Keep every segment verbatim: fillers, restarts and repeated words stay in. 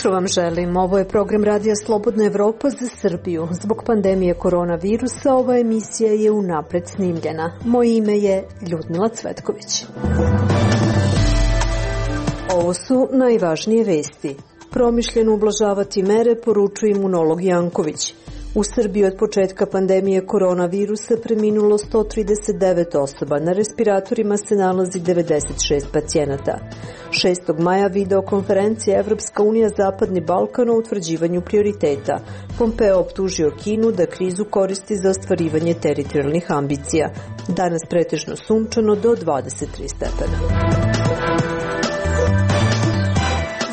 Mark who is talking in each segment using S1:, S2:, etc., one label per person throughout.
S1: Dobro vam želim. Ovo je program Radija Slobodna Evropa za Srbiju. Zbog pandemije koronavirusa ova emisija je unapred snimljena. Moje ime je Ljudmila Cvetković. Ovo su najvažnije vesti. Promišljeno ublažavati mere, poručuje imunolog Janković. U Srbiji od početka pandemije koronavirusa preminulo sto trideset devet osoba, na respiratorima se nalazi devedeset šest pacijenata. šestog maja videokonferencija Evropska unija Zapadni Balkan o utvrđivanju prioriteta. Pompeo optužio Kinu da krizu koristi za ostvarivanje teritorijalnih ambicija. Danas pretežno sunčano do dvadeset tri stepena.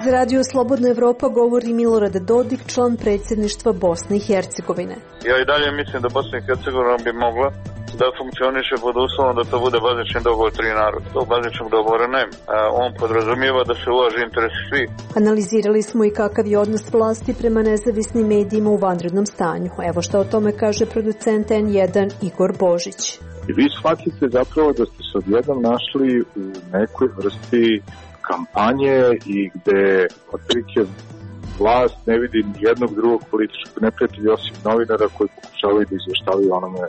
S1: Za Radio Slobodna Evropa govori Milorad Dodik, član predsjedništva Bosne i Hercegovine.
S2: Ja i dalje mislim da Bosna i Hercegovina bi mogla da funkcioniše pod uslovom da to bude bazični dogovor tri naroda. Tog bazičnog dogovora nema. On podrazumijeva da se uvaži interesi svih.
S1: Analizirali smo i kakav je odnos vlasti prema nezavisnim medijima u vanrednom stanju. Evo šta o tome kaže producent en jedan Igor Božić.
S3: I vi shvatite zapravo da ste se odjednom našli u nekoj vrsti kampanje i gde otprilike vlast ne vidi jednog drugog političkog neprijatelja osim novinara koji pokušavaju da izveštavaju onome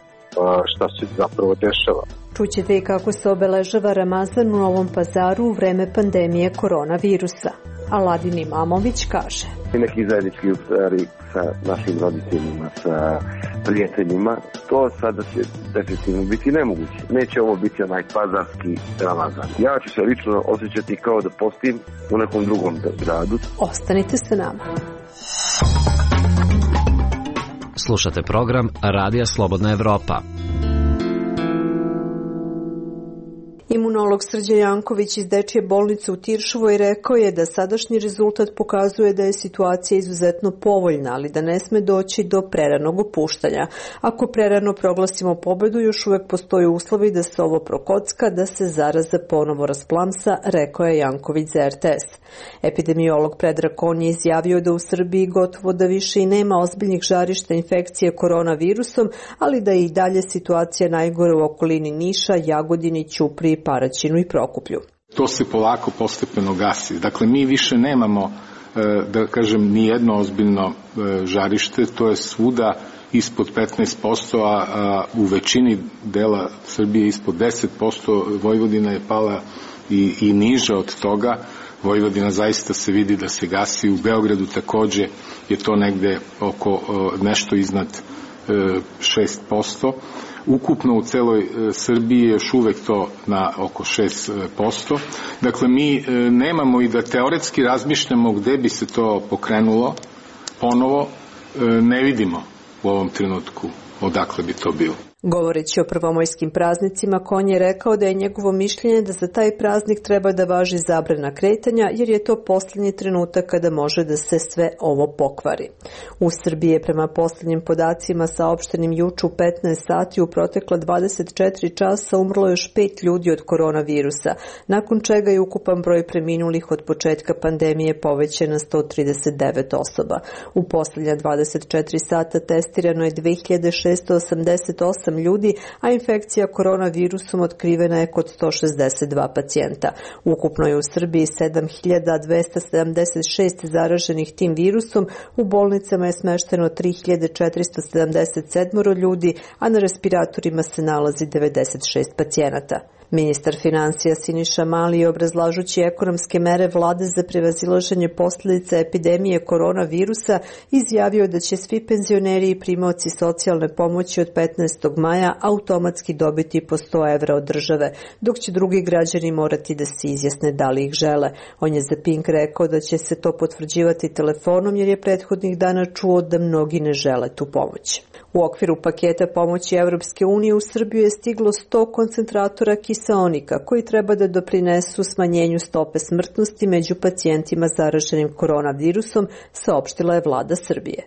S3: šta se zapravo dešava.
S1: Čućete i kako se obeležava Ramazan u Novom Pazaru u vreme pandemije koronavirusa. Aladin Imamović kaže:
S4: Neki zajednički iftari sa našim roditeljima, sa prijateljima, to sada će definitivno biti nemoguće. Neće ovo biti onaj pazarski Ramazan. Ja ću se lično osjećati kao da postim u nekom drugom gradu.
S1: Ostanite sa nama.
S5: Slušate program Radija Slobodna Evropa.
S1: Imunolog Srđan Janković iz Dečije bolnice u Tiršovoj rekao je da sadašnji rezultat pokazuje da je situacija izuzetno povoljna, ali da ne sme doći do preranog opuštanja. Ako prerano proglasimo pobedu, još uvek postoji uslovi da se ovo prokocka, da se zaraza ponovo rasplamsa, rekao je Janković za er te es. Epidemiolog Predrag Kon je izjavio da u Srbiji gotovo da više i nema ozbiljnih žarišta infekcije koronavirusom, ali da je i dalje situacija najgore u okolini Niša, Jagodini, Ćupriji, Paraćinu i Prokuplju.
S6: To se polako postepeno gasi. Dakle, mi više nemamo, da kažem, ni jedno ozbiljno žarište, to je svuda ispod petnaest posto, a u većini dela Srbije ispod deset posto, Vojvodina je pala i, i niža od toga. Vojvodina zaista se vidi da se gasi, u Beogradu takođe je to negde oko nešto iznad šest posto. Ukupno u celoj Srbiji je još uvek to na oko šest posto. Dakle, mi nemamo i da teoretski razmišljamo gde bi se to pokrenulo ponovo, ne vidimo u ovom trenutku odakle bi to bilo.
S1: Govoreći o prvomajskim praznicima, Kon je rekao da je njegovo mišljenje da za taj praznik treba da važi zabrana kretanja, jer je to posljednji trenutak kada može da se sve ovo pokvari. U Srbiji je prema posljednjim podacima saopštenim juče u petnaest sati u protekla dvadeset četiri časa umrlo još pet ljudi od koronavirusa, nakon čega je ukupan broj preminulih od početka pandemije povećan na sto trideset devet osoba. U posljednja dvadeset četiri sata testirano je dve hiljade šesto osamdeset osam ljudi, a infekcija koronavirusom otkrivena je kod sto šezdeset dva pacijenta. Ukupno je u Srbiji sedam hiljada dvesta sedamdeset šest zaraženih tim virusom, u bolnicama je smešteno tri hiljade četiristo sedamdeset sedam ljudi, a na respiratorima se nalazi devedeset šest pacijenata. Ministar finansija Siniša Mali, obrazlažući ekonomske mere vlade za prevazilaženje posljedica epidemije koronavirusa, izjavio da će svi penzioneri i primaoci socijalne pomoći od petnaestog maja automatski dobiti po sto evra od države, dok će drugi građani morati da se izjasne da li ih žele. On je za Pink rekao da će se to potvrđivati telefonom, jer je prethodnih dana čuo da mnogi ne žele tu pomoć. U okviru paketa pomoći Evropske unije u Srbiju je stiglo sto koncentratora kiseonika koji treba da doprinesu smanjenju stope smrtnosti među pacijentima zaraženim koronavirusom, saopštila je vlada Srbije.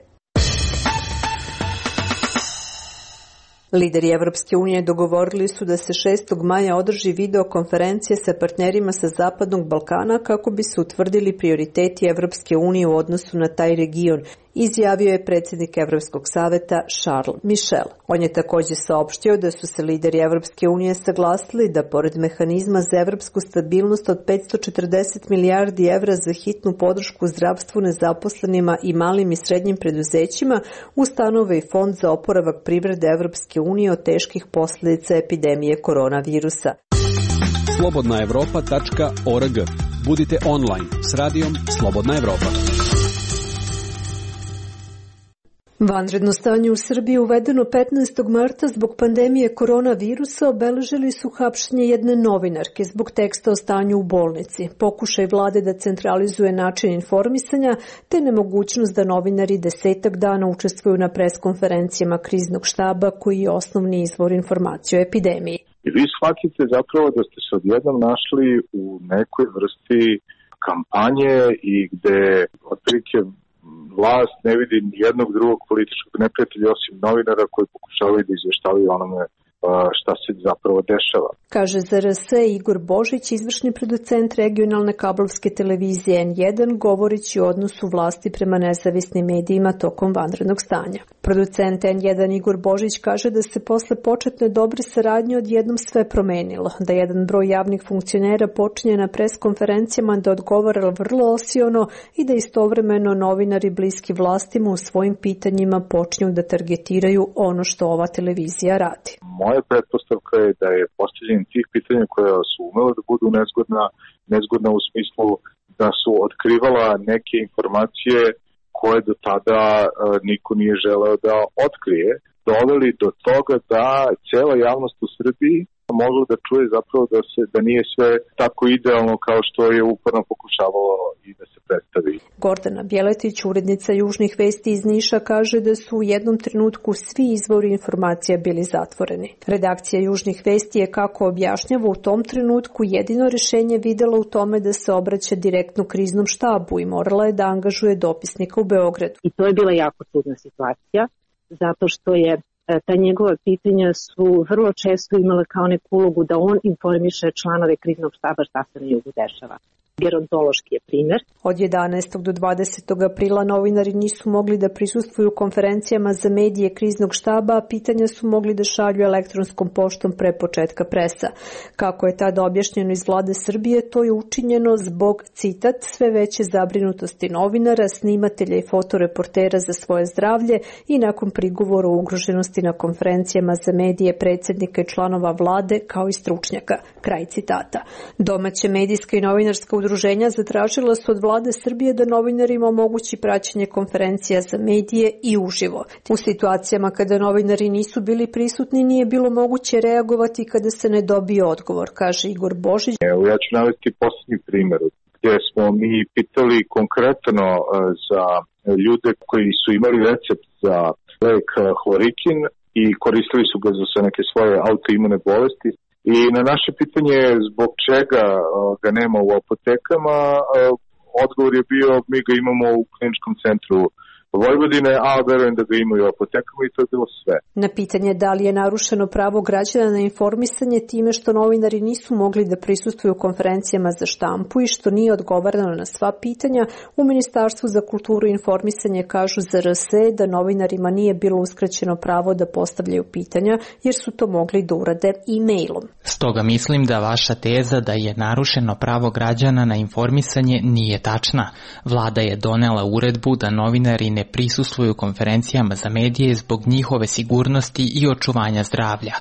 S1: Lideri Evropske unije dogovorili su da se šestog maja održi videokonferencija sa partnerima sa Zapadnog Balkana kako bi se utvrdili prioriteti Evropske unije u odnosu na taj region izjavio je predsjednik Evropskog saveta Charles Michel. On je također saopštio da su se lideri Evropske unije saglasili da pored mehanizma za evropsku stabilnost od petsto četrdeset milijardi evra za hitnu podršku zdravstvu, nezaposlenima i malim i srednjim preduzećima ustanove i fond za oporavak privrede Evropske unije od teških posljedica epidemije koronavirusa.
S7: slobodna evropa tačka org. Budite online s radijom Slobodna Evropa.
S1: Vanredno stanje u Srbiji uvedeno petnaestog marta zbog pandemije koronavirusa obeležili su hapšenje jedne novinarke zbog teksta o stanju u bolnici, pokušaj vlade da centralizuje način informisanja te nemogućnost da novinari desetak dana učestvuju na preskonferencijama kriznog štaba koji je osnovni izvor informacije o epidemiji.
S3: I vi shvatite zapravo da ste se odjednom našli u nekoj vrsti kampanje i gde otprilike vlast ne vidi ni jednog drugog političkog neprijatelja osim novinara koji pokušavaju da izveštavaju onome šta se zapravo dešava.
S1: Kaže za R S Igor Božić, izvršni producent regionalne kablovske televizije N jedan, govoreći o odnosu vlasti prema nezavisnim medijima tokom vanrednog stanja. Producent N jedan Igor Božić kaže da se posle početne dobre saradnje odjednom sve promenilo, da jedan broj javnih funkcionera počinje na preskonferencijama da odgovara vrlo osiono i da istovremeno novinari bliski vlastima u svojim pitanjima počinju da targetiraju ono što ova televizija radi.
S3: Moja pretpostavka je da je postavljanje tih pitanja koja su umela da budu nezgodna, nezgodna u smislu da su otkrivala neke informacije koje do tada uh, niko nije želeo da otkrije, doveli do toga da cela javnost u Srbiji mogla da čuje zapravo da se da nije sve tako idealno kao što je uporno pokušavalo i da se predstavi.
S1: Gordana Bjeletić, urednica Južnih vesti iz Niša, kaže da su u jednom trenutku svi izvori informacija bili zatvoreni. Redakcija Južnih vesti je, kako objašnjava, u tom trenutku jedino rešenje videla u tome da se obraća direktno kriznom štabu i morala je da angažuje dopisnika u Beogradu.
S8: I to je bila jako čudna situacija, zato što je ta njegova pitanja su vrlo često imala kao neku ulogu da on informiše članove kriznog štaba šta se na jugu dešava. Gerontološki je primer.
S1: Od jedanaestog do dvadesetog aprila novinari nisu mogli da prisustvuju konferencijama za medije kriznog štaba, a pitanja su mogli da šalju elektronskom poštom pre početka presa. Kako je tada objašnjeno iz vlade Srbije, to je učinjeno zbog, citat, sve veće zabrinutosti novinara, snimatelja i fotoreportera za svoje zdravlje i nakon prigovora o ugroženosti na konferencijama za medije predsjednika i članova vlade kao i stručnjaka. Kraj citata. Domaće medijska i novinarska udruženja zatražila su od vlade Srbije da novinarima omogući praćenje konferencija za medije i uživo. U situacijama kada novinari nisu bili prisutni nije bilo moguće reagovati kada se ne dobije odgovor, kaže Igor Božić.
S3: Evo, ja ću navesti posljednji primjer gdje smo mi pitali konkretno za ljude koji su imali recept za lek hlorikin i koristili su ga za neke svoje autoimune bolesti. I na naše pitanje zbog čega ga nema u apotekama, odgovor je bio mi ga imamo u kliničkom centru Vojvodine, a verujem da ga imaju u apotekama i to je bilo sve.
S1: Na pitanje da li je narušeno pravo građana na informisanje time što novinari nisu mogli da prisustvuju konferencijama za štampu i što nije odgovarano na sva pitanja, u Ministarstvu za kulturu i informisanje kažu za R S da novinarima nije bilo uskraćeno pravo da postavljaju pitanja jer su to mogli da urade e-mailom.
S9: Stoga mislim da vaša teza da je narušeno pravo građana na informisanje nije tačna. Vlada je donela uredbu da novinari ne prisustvuju konferencijama za medije zbog njihove sigurnosti i očuvanja zdravlja.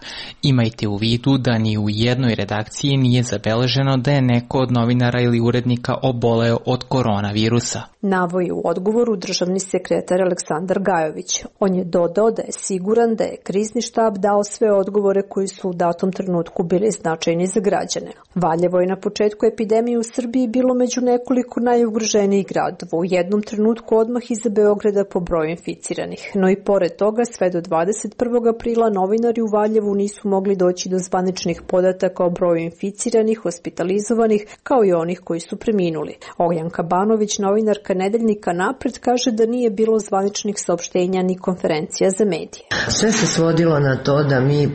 S9: Imajte u vidu da ni u jednoj redakciji nije zabeleženo da je neko od novinara ili urednika oboleo od koronavirusa.
S1: Navoji u odgovoru državni sekretar Aleksandar Gajović. On je dodao da je siguran da je krizni štab dao sve odgovore koji su u datom trenutku bili značajni za građane. Valjevo je na početku epidemije u Srbiji bilo među nekoliko najugroženijih gradova. U jednom trenutku odmah iza Beograda po broju inficiranih. No i pored toga, sve do dvadeset prvog aprila novinari u Valjevu nisu mogli doći do zvaničnih podataka o broju inficiranih, hospitalizovanih, kao i onih koji su preminuli. Ognjanka Banović, novinarka nedeljnika Napred kaže da nije bilo zvaničnih saopštenja ni konferencija za medije.
S10: Sve se svodilo na to da mi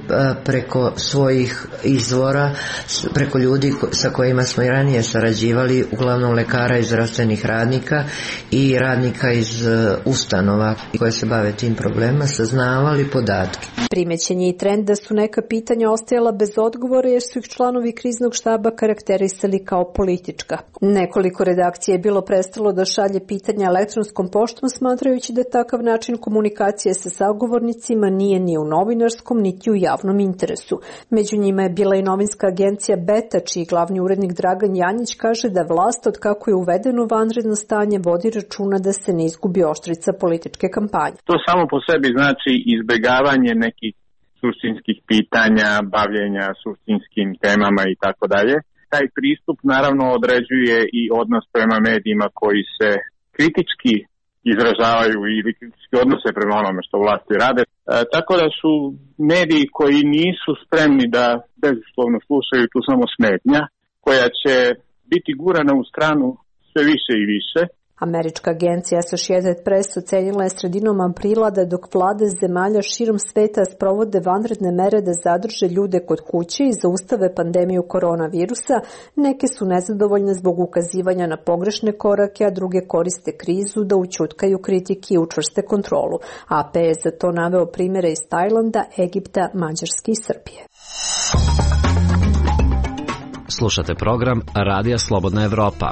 S10: preko svojih izvora, preko ljudi sa kojima smo i ranije sarađivali, uglavnom lekara i zdravstvenih radnika i radnika iz ustanova koje se bave tim problemima, saznavali podatke.
S1: Primećen je i trend da su neka pitanja ostajala bez odgovora jer su ih članovi kriznog štaba karakterisali kao politička. Nekoliko redakcija je bilo prestalo da šalje pitanja elektronskom poštom, smatrajući da takav način komunikacije sa sagovornicima nije ni u novinarskom niti u javnom interesu. Među njima je bila i novinska agencija Beta, čiji glavni urednik Dragan Janjić kaže da vlast od kako je uvedeno vanredno stanje vodi računa da se ne izgubi oštrica političke kampanje.
S11: To samo po sebi znači izbegavanje nekih suštinskih pitanja, bavljenja suštinskim temama i tako dalje. Taj pristup naravno određuje i odnos prema medijima koji se kritički izražavaju ili kritički odnose prema onome što vlasti rade. E, tako da su mediji koji nisu spremni da bezuslovno slušaju tu samo smetnja, koja će biti gurana u stranu sve više i više.
S1: Američka agencija Associated Press ocenila je sredinom aprila da dok vlade zemalja širom sveta sprovode vanredne mere da zadrže ljude kod kuće i zaustave pandemiju koronavirusa, neke su nezadovoljne zbog ukazivanja na pogrešne korake, a druge koriste krizu da ućutkaju kritike i učvrste kontrolu. A P je za to naveo primjere iz Tajlanda, Egipta, Mađarske i Srbije.
S5: Slušate program Radija Slobodna Evropa.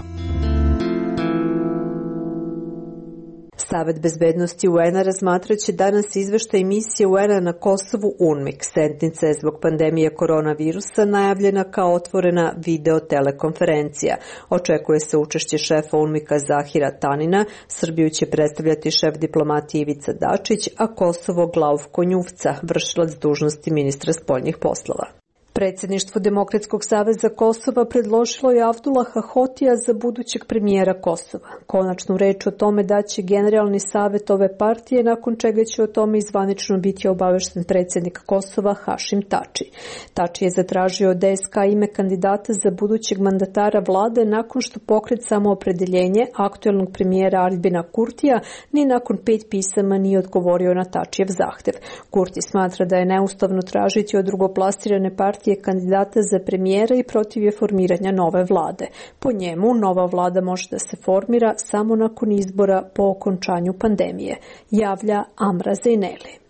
S1: Savet bezbednosti U N-a razmatraće danas izveštaj misije U N-a na Kosovu UNMIK. Sednica je zbog pandemije koronavirusa najavljena kao otvorena video telekonferencija. Očekuje se učešće šefa UNMIK-a Zahira Tanina, Srbiju će predstavljati šef diplomatije Ivica Dačić, a Kosovo Glavko Njuvca, vršilac dužnosti ministra spoljnih poslova. Predsjedništvo Demokratskog saveza Kosova predložilo je Avdulaha Hotija za budućeg premijera Kosova. Konačnu reč o tome daće generalni savet ove partije, nakon čega će o tome izvanično biti obavešten predsjednik Kosova Hašim Tači. Tači je zatražio od D S K ime kandidata za budućeg mandatara vlade nakon što pokret Samoopredeljenje aktuelnog premijera Albina Kurtija ni nakon pet pisama nije odgovorio na Tačijev zahtev. Kurti smatra da je neustavno tražiti od drugoplasirane partije kandidata za premijera i protiv je formiranja nove vlade. Po njemu, nova vlada može da se formira samo nakon izbora po okončanju pandemije, javlja Amra Zejneli.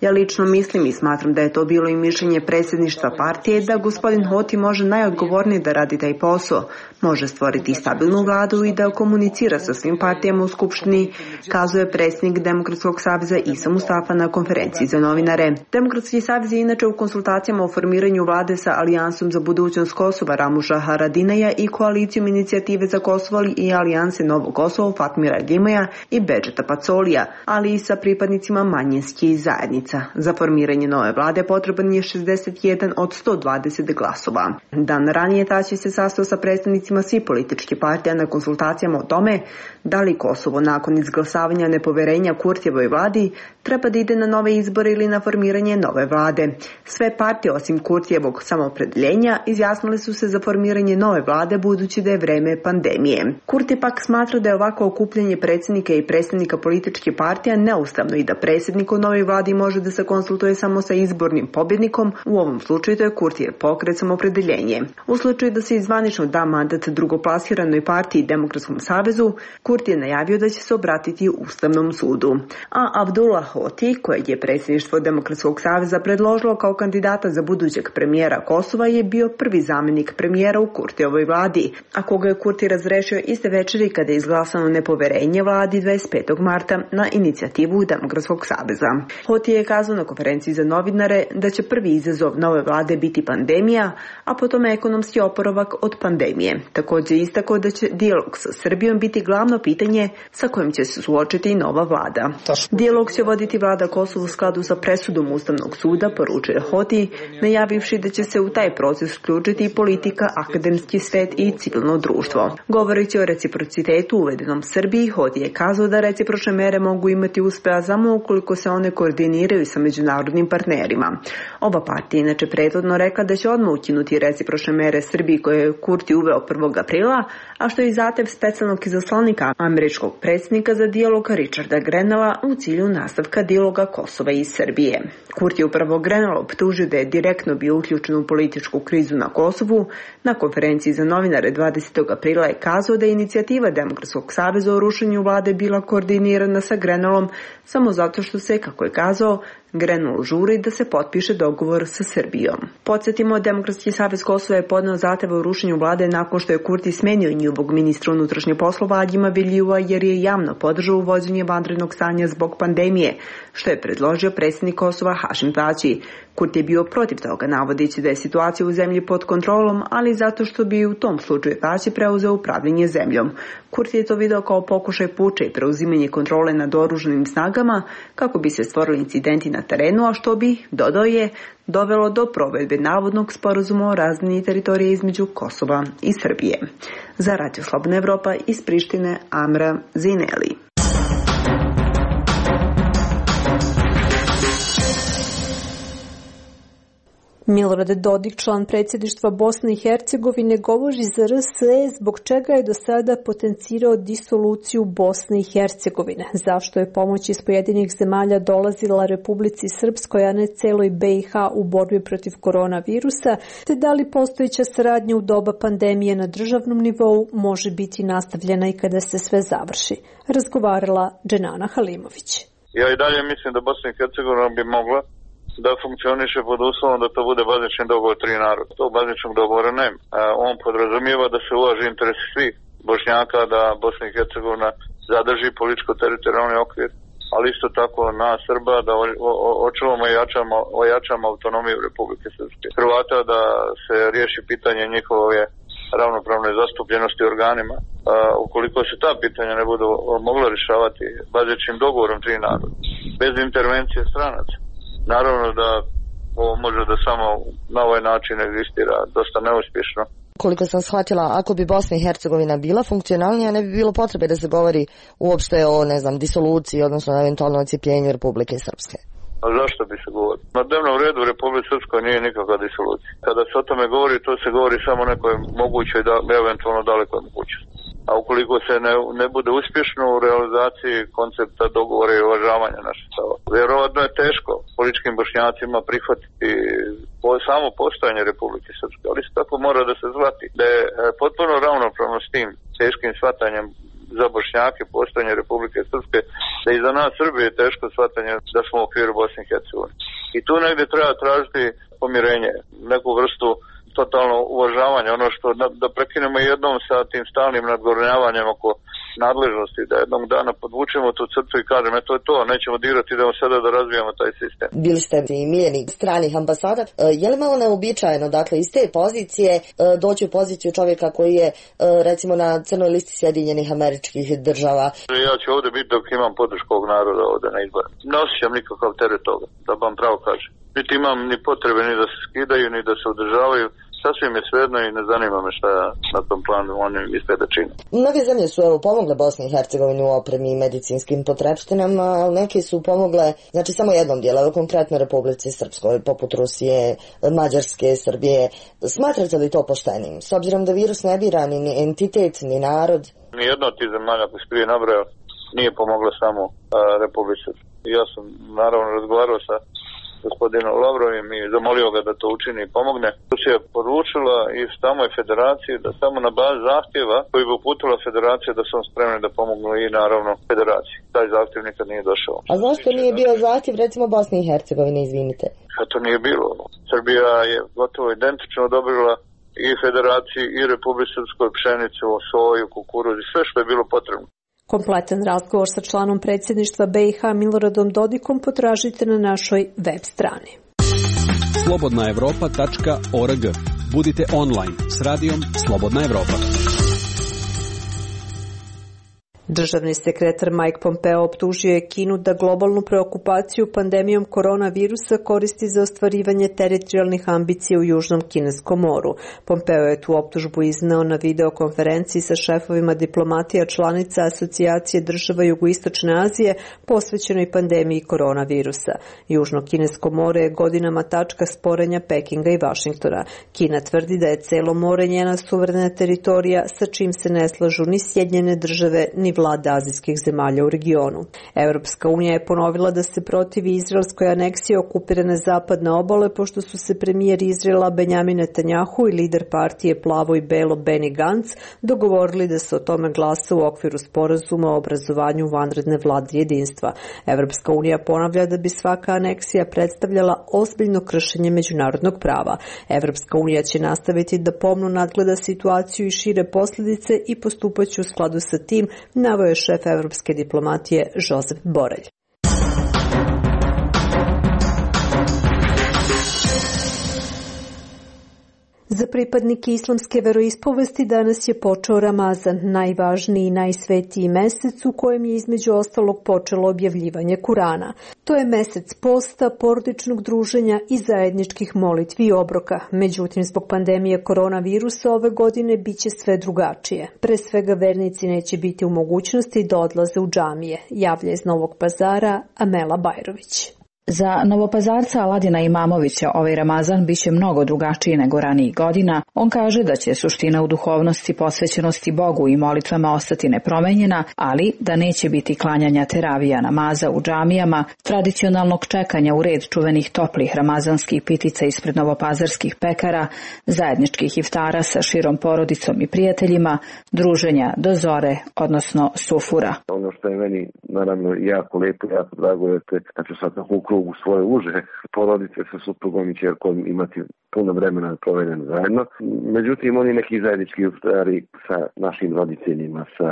S12: Ja lično mislim i smatram da je to bilo i mišljenje predsjedništva partije da gospodin Hoti može najodgovornije da radi taj posao, može stvoriti stabilnu vladu i da komunicira sa svim partijama u Skupštini, kazuje predsjednik Demokratskog saveza Isa Mustafa na konferenciji za novinare. Demokratski savez je inače u konsultacijama o formiranju vlade sa Alijansom za budućnost Kosova Ramuša Haradinaja i koalicijom Inicijative za Kosovo i Alijanse Novo Kosovo Fatmira Gimaja i Bedžeta Pacolija, ali i sa pripadnicima manjinskih zajednica. Za formiranje nove vlade potreban je šezdeset jedan od sto dvadeset glasova. Dan ranije Tači se sastao sa predstavnicima svih političkih partija na konsultacijama o tome da li Kosovo nakon izglasavanja nepoverenja Kurtijevoj vladi treba da ide na nove izbore ili na formiranje nove vlade. Sve partije osim Kurtijevog Samoopredeljenja izjasnile su se za formiranje nove vlade budući da je vreme pandemije. Kurti pak smatra da je ovako okupljanje predsjednika i predstavnika političke partija neustavno i da predsjednik u novoj vladi može da se konsultuje samo sa izbornim pobjednikom, u ovom slučaju to je Kurtijev pokret Samoopredeljenje. U slučaju da se izvanično da mandat drugoplasiranoj partiji Demokratskom savezu, Kurti je najavio da će se obratiti Ustavnom sudu. A Avdullah Hoti, kojeg je predsjedništvo Demokratskog saveza predložilo kao kandidata za budućeg premijera Kosova, je bio prvi zamjenik premijera u Kurtijevoj vladi, a koga je Kurti razrešio iste večeri kada je izglasano nepoverenje vladi dvadeset petog marta na inicijativu Demokratskog saveza. Hoti je kazao na konferenciji za novinare da će prvi izazov nove vlade biti pandemija, a potom ekonomski oporavak od pandemije. Također istakao da će dijalog sa Srbijom biti glavno pitanje sa kojim će se suočiti i nova vlada. Dijalog će voditi vlada Kosova u skladu sa presudom Ustavnog suda, poručuje Hoti, najavivši da će se u taj proces uključiti i politika, akademski svet i civilno društvo. Govoreći o reciprocitetu uvedenom Srbiji, Hoti je kazao da recipročne mere mogu imati uspeha samo ukoliko se one koordiniraju sa međunarodnim partnerima. Ova partija inače prethodno rekla da će odmah ukinuti recipročne mere Srbiji koje je Kurti uveo prvog aprila, a što je zahtev specijalnog izaslanika američkog predsjednika za dijalog Richarda Grenella u cilju nastavka dijaloga Kosova i Srbije. Kurti je upravo Grenell optužio da je direktno bio uključen u političku krizu na Kosovu. Na konferenciji za novinare dvadesetog aprila je kazao da je inicijativa Demokratskog saveza o rušenju vlade bila koordinirana sa Grenellom samo zato što se, kako je kazao, Grenell žuri da se potpiše dogovor sa Srbijom. Podsjetimo, Demokratski savez Kosova je podneo zahteve o rušenju vlade nakon što je Kurti smenio njihovog ministra unutrašnjih poslova Adjima Biljua jer je javno podržao uvođenje vanrednog stanja zbog pandemije, što je predložio predsjednik Kosova Hašim Tači. Kurti je bio protiv toga, navodeći da je situacija u zemlji pod kontrolom, ali zato što bi u tom slučaju Tači preuzeo upravljanje zemljom. Kurti je to video kao pokušaj puča i preuzimanje kontrole nad oružanim snagama kako bi se stvorili incidenti na terenu, a što bi, dodao je, dovelo do provedbe navodnog sporazuma o razmjeni teritorije između Kosova i Srbije. Za Radio Slobodna Evropa iz Prištine, Amra Zineli.
S1: Milorad Dodik, član predsjedništva Bosne i Hercegovine, govori za R S E zbog čega je do sada potencirao disoluciju Bosne i Hercegovine. Zašto je pomoć iz pojedinih zemalja dolazila Republici Srpskoj, a ne celoj B i H u borbi protiv koronavirusa, te da li postojeća saradnja u doba pandemije na državnom nivou može biti nastavljena i kada se sve završi. Razgovarala Dženana Halimović.
S2: Ja i dalje mislim da Bosna i Hercegovina bi mogla da funkcioniše pod uslovom da to bude bazični dogovor tri naroda. To bazičnog dogovora nema. On podrazumijeva da se uvaži interesi svih Bošnjaka, da Bosna i Hercegovina zadrži političko-teritorijalni okvir, ali isto tako na Srba da očuvamo i ojačamo, ojačamo autonomiju Republike Srpske. Hrvata da se riješi pitanje njihove ravnopravne zastupljenosti organima. A, ukoliko se ta pitanja ne budu mogla rješavati bazičnim dogovorom tri naroda, bez intervencije stranaca, naravno da ovo može da samo na ovaj način egzistira dosta neuspješno.
S13: Koliko sam shvatila, ako bi Bosna i Hercegovina bila funkcionalnija, ne bi bilo potrebe da se govori uopšte o, ne znam, disoluciji, odnosno eventualno ocijepljenju Republike Srpske.
S2: A zašto bi se govori? Na dnevnom redu u Republike Srpskoj nije nikakva disolucija. Kada se o tome govori, to se govori samo nekoj mogućoj, da, eventualno dalekoj mogućnosti. A ukoliko se ne, ne bude uspješno u realizaciji koncepta dogovora i uvažavanja naših stava, vjerovatno je teško političkim Bošnjacima prihvatiti po, samo postojanje Republike Srpske, ali isto tako mora da se zvati da je potpuno ravnopravno s tim teškim shvatanjem za Bošnjake postojanje Republike Srpske, da i za nas Srbije je teško shvatanje da smo u okviru Bosne i Hercegovine. I tu negdje treba tražiti pomirenje, neku vrstu totalno uvažavanje, ono što da, da prekinemo jednom sa tim stalnim nadgornjavanjem oko nadležnosti, da jednog dana podvučemo tu crtu i kažemo, eto je to, nećemo dirati, idemo sada da razvijamo taj sistem.
S13: Bili ste i miljenik stranih ambasada. Je li malo neobičajeno, dakle, iz te pozicije doći u poziciju čovjeka koji je, recimo, na crnoj listi Sjedinjenih Američkih Država?
S2: Ja ću ovdje biti dok imam podršku ovog naroda ovdje na izborima. Ne osjećam nikakav teret toga, da vam pravo kažem. Niti imam ni potrebe ni da se skidaju, ni da se održavaju. Sasvim je svejedno i ne zanima me šta na tom planu oni misle da čine.
S13: Mnoge zemlje su evo pomogle Bosni i Hercegovini u opremi i medicinskim potrepštinama, ali neke su pomogle, znači samo jednom dijelu, evo konkretno Republici Srpskoj, poput Rusije, Mađarske, Srbije. Smatrate li to poštenim? S obzirom da virus ne bira ni entitet, ni narod?
S2: Nijedna od tih zemalja koji se prije nabrao nije pomogla samo a, Republici Srpskoj. Ja sam naravno razgovarao sa gospodinom Lavrovim i zamolio ga da to učini i pomogne. Rusija je poručila i samoj federaciji da samo na bazi zahtjeva koji bi uputila federacija da su spremni da pomognu i naravno federaciji. Taj zahtjev nikad nije došao.
S13: A zašto nije bio zahtjev recimo Bosne i Hercegovine, izvinite?
S2: A to nije bilo. Srbija je gotovo identično odobrila i federaciji i Republici Srpskoj pšenicu, soju, kukuruz i sve što je bilo potrebno.
S1: Kompletan razgovor sa članom predsjedništva B i H Miloradom Dodikom potražite na našoj web strani.
S7: slobodna evropa tačka org. Budite online s radijom Slobodna Evropa.
S1: Državni sekretar Mike Pompeo optužio je Kinu da globalnu preokupaciju pandemijom koronavirusa koristi za ostvarivanje teritorijalnih ambicija u Južnom Kineskom moru. Pompeo je tu optužbu izneo na videokonferenciji sa šefovima diplomatija članica Asocijacije država Jugoistočne Azije posvećenoj pandemiji koronavirusa. Južno Kinesko more je godinama tačka sporenja Pekinga i Vašingtona. Kina tvrdi da je celo more njena suverena teritorija sa čim se ne slažu ni Sjedinjene države ni vlade azijskih zemalja u regionu. Europska unija je ponovila da se protivi izraelskoj aneksiji okupirane zapadne obale, pošto su se premijer Izraela Benjamin Netanjahu i lider partije Plavo i Belo Benny Gantz dogovorili da se o tome glasa u okviru sporazuma o obrazovanju vanredne vlade jedinstva. Europska unija ponavlja da bi svaka aneksija predstavljala ozbiljno kršenje međunarodnog prava. Europska unija će nastaviti da pomno nadgleda situaciju i šire posljedice i postupaće u skladu sa tim, naveo je šef evropske diplomatije Josep Borrell. Za pripadnike islamske veroispovesti danas je počeo Ramazan, najvažniji i najsvetiji mesec u kojem je između ostalog počelo objavljivanje Kurana. To je mesec posta, porodičnog druženja i zajedničkih molitvi i obroka. Međutim, zbog pandemije koronavirusa ove godine biće sve drugačije. Pre svega vernici neće biti u mogućnosti da odlaze u džamije, javlja iz Novog Pazara Amela Bajrović.
S14: Za Novopazarca Aladina Imamovića ovaj Ramazan biće mnogo drugačiji nego ranijih godina. On kaže da će suština u duhovnosti, posvećenosti Bogu i molitvama ostati nepromenjena, ali da neće biti klanjanja teravija namaza u džamijama, tradicionalnog čekanja u red čuvenih toplih ramazanskih pitica ispred novopazarskih pekara, zajedničkih iftara sa širom porodicom i prijateljima, druženja do zore, odnosno sufura.
S4: Ono što je meni naravno jako lepo, jako drago je te, da ću sad u krugu svoje uže porodice sa suprugom i ćerkom imati puno vremena provedeno zajedno. Međutim, oni neki zajednički iftari sa našim roditeljima, sa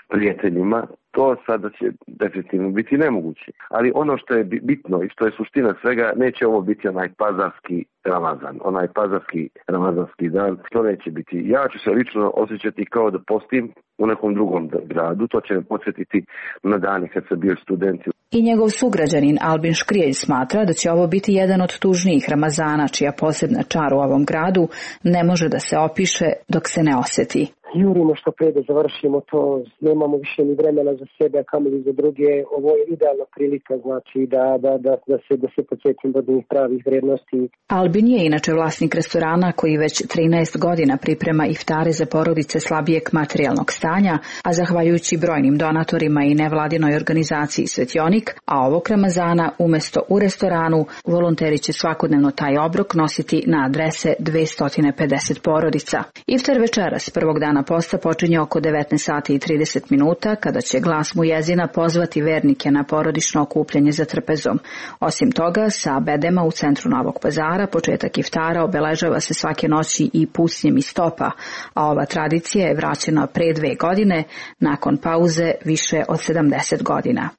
S4: prijateljima, to sada će definitivno biti nemoguće. Ali ono što je bitno i što je suština svega, neće ovo biti onaj pazarski Ramazan, onaj pazarski ramazanski dan, što neće biti. Ja ću se lično osjećati kao da postim u nekom drugom gradu, to će me podsjetiti na dane kad sam bio student.
S14: I njegov sugrađanin Albin Škrijelj smatra da će ovo biti jedan od tužnijih Ramazana, čija posebna čar u ovom gradu ne može da se opiše dok se ne osjeti.
S15: Jurimo što pre da završimo to, nemamo više ni vremena za sebe, a kamoli za druge. Ovo je idealna prilika, znači da, da, da, da se, da se podsjetim do njih pravih vrednosti.
S14: Albin je inače vlasnik restorana koji već trinaest godina priprema iftare za porodice slabijeg materijalnog stanja, a zahvaljujući brojnim donatorima i nevladinoj organizaciji Svetionik, a ovog Ramazana umesto u restoranu, volonteri će svakodnevno taj obrok nositi na adrese dvesta pedeset porodica. Iftar večeras prvog dana posta počinje oko devetnaest sati i trideset minuta, kada će glas muezina pozvati vernike na porodično okupljanje za trpezom. Osim toga, sa bedema u centru Novog Pazara početak iftara obeležava se svake noći i pucnjem iz stopa, a ova tradicija je vraćena pre dve godine, nakon pauze više od sedamdeset godina.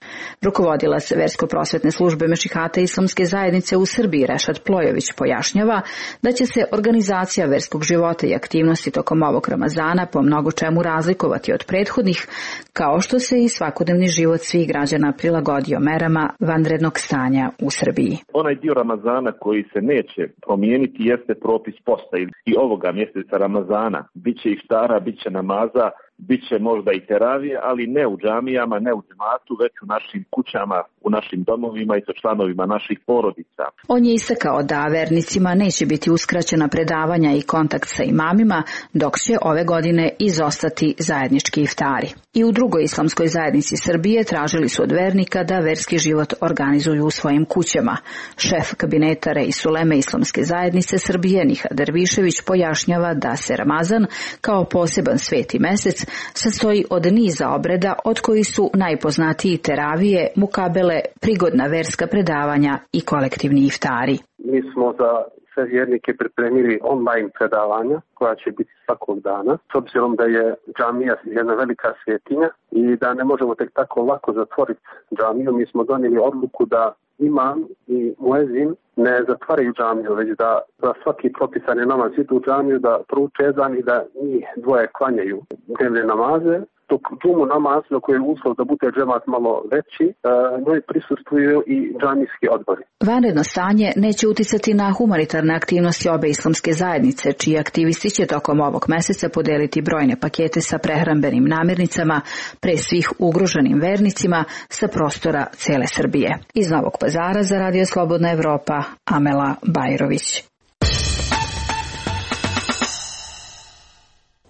S14: Rukovodilac Versko-prosvetne službe Mešihata Islamske zajednice u Srbiji Rešad Plojović pojašnjava da će se organizacija verskog života i aktivnosti tokom ovog Ramazana po mnogo čemu razlikovati od prethodnih, kao što se i svakodnevni život svih građana prilagodio merama vanrednog stanja u Srbiji.
S16: Onaj dio Ramazana koji se neće promijeniti jeste propis posta i ovoga mjeseca Ramazana. Biće iftara, biće namaza, biće možda i teravije, ali ne u džamijama, ne u džematu, već u našim kućama, u našim domovima i sa članovima naših porodica.
S14: On je istakao da vernicima neće biti uskraćena predavanja i kontakt sa imamima, dok će ove godine izostati zajednički iftari. I u drugoj islamskoj zajednici Srbije tražili su od vernika da verski život organizuju u svojim kućama. Šef kabineta Reisuleme Islamske zajednice Srbije Nihat Dervišević pojašnjava da se Ramazan kao poseban sveti mesec sastoji od niza obreda, od koji su najpoznatiji teravije, mukabele, prigodna verska predavanja i kolektivni iftari.
S15: Mi smo za sve vjernike pripremili online predavanja koja će biti svakog dana, s obzirom da je džamija jedna velika svetinja i da ne možemo tek tako lako zatvoriti džamiju. Mi smo donijeli odluku da imam i muezin ne zatvaraju džamiju, već da za svaki propisani namaz idu u džamiju, da prouče ezan i da njih dvoje klanjaju dnevne namaze, dok džumu namaz, na koji je uslov da bude džemat malo veći, njoj prisustvuju i džamijski odbori.
S14: Vanredno stanje neće uticati na humanitarne aktivnosti obe islamske zajednice, čiji aktivisti će tokom ovog meseca podeliti brojne pakete sa prehrambenim namirnicama pre svih ugroženim vernicima sa prostora cele Srbije. Iz Novog Pazara za Radio Slobodna Evropa, Amela Bajrović.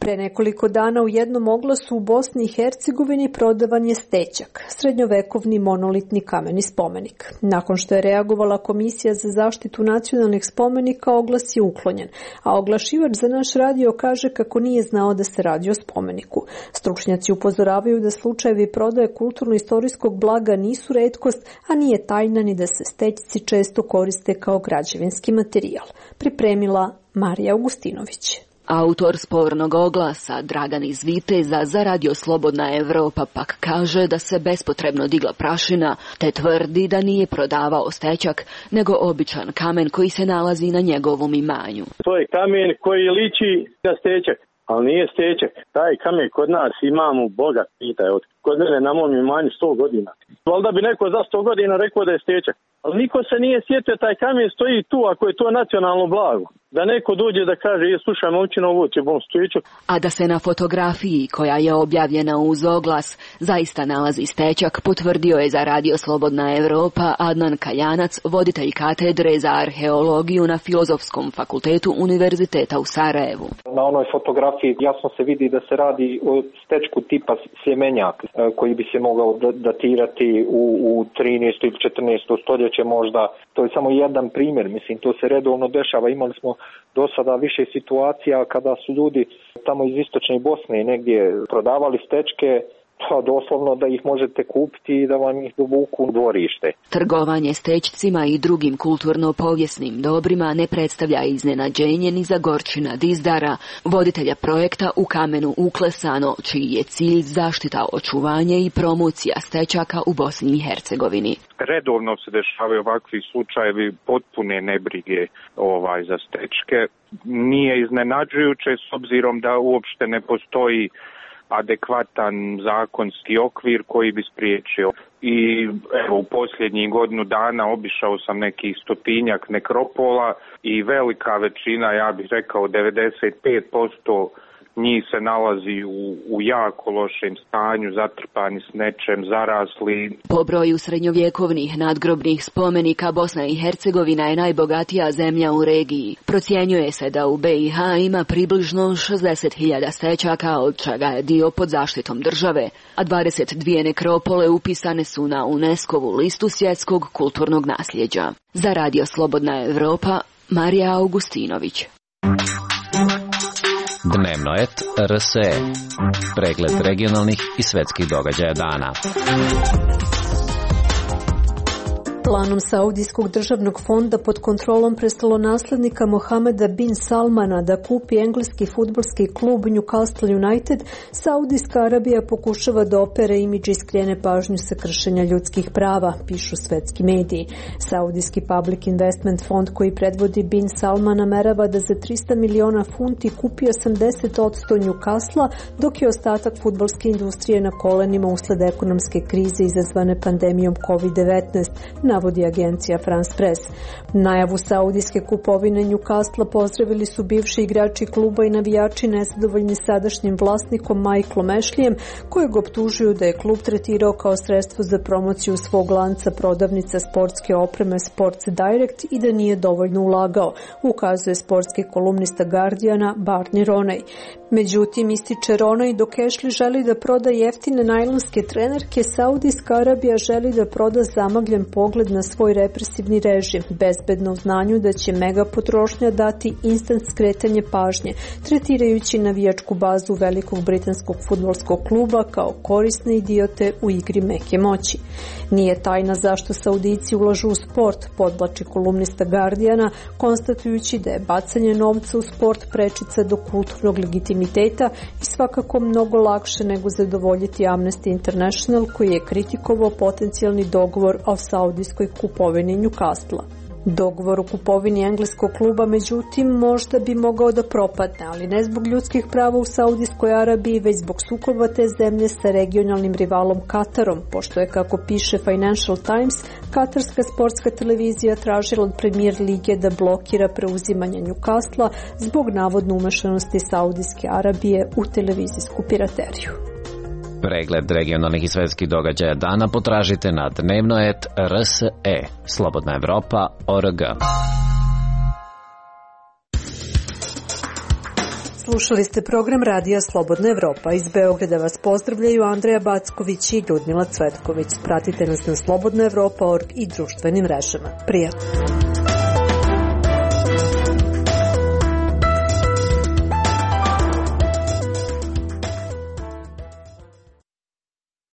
S1: Pre nekoliko dana u jednom oglasu u Bosni i Hercegovini prodavan je stećak, srednjovekovni monolitni kameni spomenik. Nakon što je reagovala Komisija za zaštitu nacionalnih spomenika, oglas je uklonjen, a oglašivač za naš radio kaže kako nije znao da se radi o spomeniku. Stručnjaci upozoravaju da slučajevi prodaje kulturno-istorijskog blaga nisu retkost, a nije tajna ni da se stećci često koriste kao građevinski materijal. Pripremila Marija Augustinović.
S17: Autor spornog oglasa, Dragan iz Viteza, za Radio Slobodna Evropa pak kaže da se bespotrebno digla prašina, te tvrdi da nije prodavao stećak, nego običan kamen koji se nalazi na njegovom imanju.
S18: To je kamen koji liči na stećak, ali nije stećak. Taj kamen kod nas imamo, Boga pitaj, od kod mene na mom imanju sto godina. Valjda bi neko za sto godina rekao da je stećak. Ali niko se nije sjetio, taj kamen stoji tu, ako je to nacionalno blago. Da neko dođe da kaže, je slušaj momčina, ovo će bom stećak.
S17: A da se na fotografiji, koja je objavljena uz oglas, zaista nalazi stećak, potvrdio je za Radio Slobodna Evropa Adnan Kaljanac, voditelj katedre za arheologiju na Filozofskom fakultetu Univerziteta u Sarajevu.
S19: Na onoj fotografiji jasno se vidi da se radi o stečku tipa sjemenjak, koji bi se mogao datirati u, u trinaestom ili četrnaestom stoljeće možda. To je samo jedan primjer, mislim, to se redovno dešava. Imali smo do sada više situacija kada su ljudi tamo iz istočne Bosne negdje prodavali stečke, doslovno da ih možete kupiti i da vam ih dovuku u dvorište.
S17: Trgovanje stećcima i drugim kulturno-povijesnim dobrima ne predstavlja iznenađenje ni za Gorčina Dizdara, voditelja projekta U kamenu uklesano, čiji je cilj zaštita, očuvanje i promocija stećaka u Bosni i Hercegovini.
S11: Redovno se dešavaju ovakvi slučajevi potpune nebrige ovaj za stečke. Nije iznenađujuće s obzirom da uopšte ne postoji adekvatan zakonski okvir koji bi spriječio. I evo, u posljednjih godinu dana obišao sam nekih stotinjak nekropola i velika većina, ja bih rekao devedeset pet posto njih se nalazi u, u jako lošem stanju, zatrpani s nečem, zarasli.
S17: Po broju srednjovjekovnih nadgrobnih spomenika Bosna i Hercegovina je najbogatija zemlja u regiji. Procjenjuje se da u B i H ima približno šezdeset hiljada stećaka, od čega je dio pod zaštitom države, a dvadeset dvije nekropole upisane su na UNESCO-vu listu svjetskog kulturnog nasljeđa. Za Radio Slobodna Evropa, Marija Augustinović.
S5: Dnevno et R S E. Pregled regionalnih i svetskih događaja dana.
S1: Planom Saudijskog državnog fonda pod kontrolom prestolonaslednika Mohameda bin Salmana da kupi engleski fudbalski klub Newcastle United, Saudijska Arabija pokušava da opere imidž i skrene pažnju sa kršenja ljudskih prava, pišu svetski mediji. Saudijski Public Investment fond koji predvodi bin Salman namerava da za trista miliona funti kupi osamdeset posto Newcastle, dok je ostatak fudbalske industrije na kolenima usled ekonomske krize izazvane pandemijom kovid devetnaest, navodi agencija France Press. Najavu saudijske kupovine Newcastle pozdravili su bivši igrači kluba i navijači nezadovoljni sadašnjim vlasnikom Michaelom Ashleyem, kojeg optužuju da je klub tretirao kao sredstvo za promociju svog lanca prodavnica sportske opreme Sports Direct i da nije dovoljno ulagao, ukazuje sportski kolumnista Guardiana Barney Ronay. Međutim, ističe Ronay, dok Ashley želi da proda jeftine najlonske trenerke, Saudijska Arabija želi da proda zamagljen pogled na svoj represivni režim, bezbedno u znanju da će mega potrošnja dati instant skretanje pažnje, tretirajući navijačku bazu velikog britanskog fudbalskog kluba kao korisne idiote u igri meke moći. Nije tajna zašto Saudijci ulažu u sport, podvlači kolumnista Guardiana, konstatujući da je bacanje novca u sport prečica do kulturnog legitimiteta i svakako mnogo lakše nego zadovoljiti Amnesty International, koji je kritikovao potencijalni dogovor o saudijskoj kupovini Newcastle. Dogovor o kupovini engleskog kluba, međutim, možda bi mogao da propadne, ali ne zbog ljudskih prava u Saudijskoj Arabiji, već zbog sukoba te zemlje sa regionalnim rivalom Katarom, pošto je, kako piše Financial Times, katarska sportska televizija tražila od Premier lige da blokira preuzimanje Newcastle zbog navodno umešanosti Saudijske Arabije u televizijsku pirateriju.
S5: Pregled regionalnih i svetskih događaja dana potražite na dnevnoet R S E, Slobodna Evropa, O R G.
S1: Slušali ste program Radija Slobodna Evropa. Iz Beograda vas pozdravljaju Andreja Backović i Ljudmila Cvetković. Pratite nas na slobodna evropa tačka org i društvenim mrežama. Prijatno!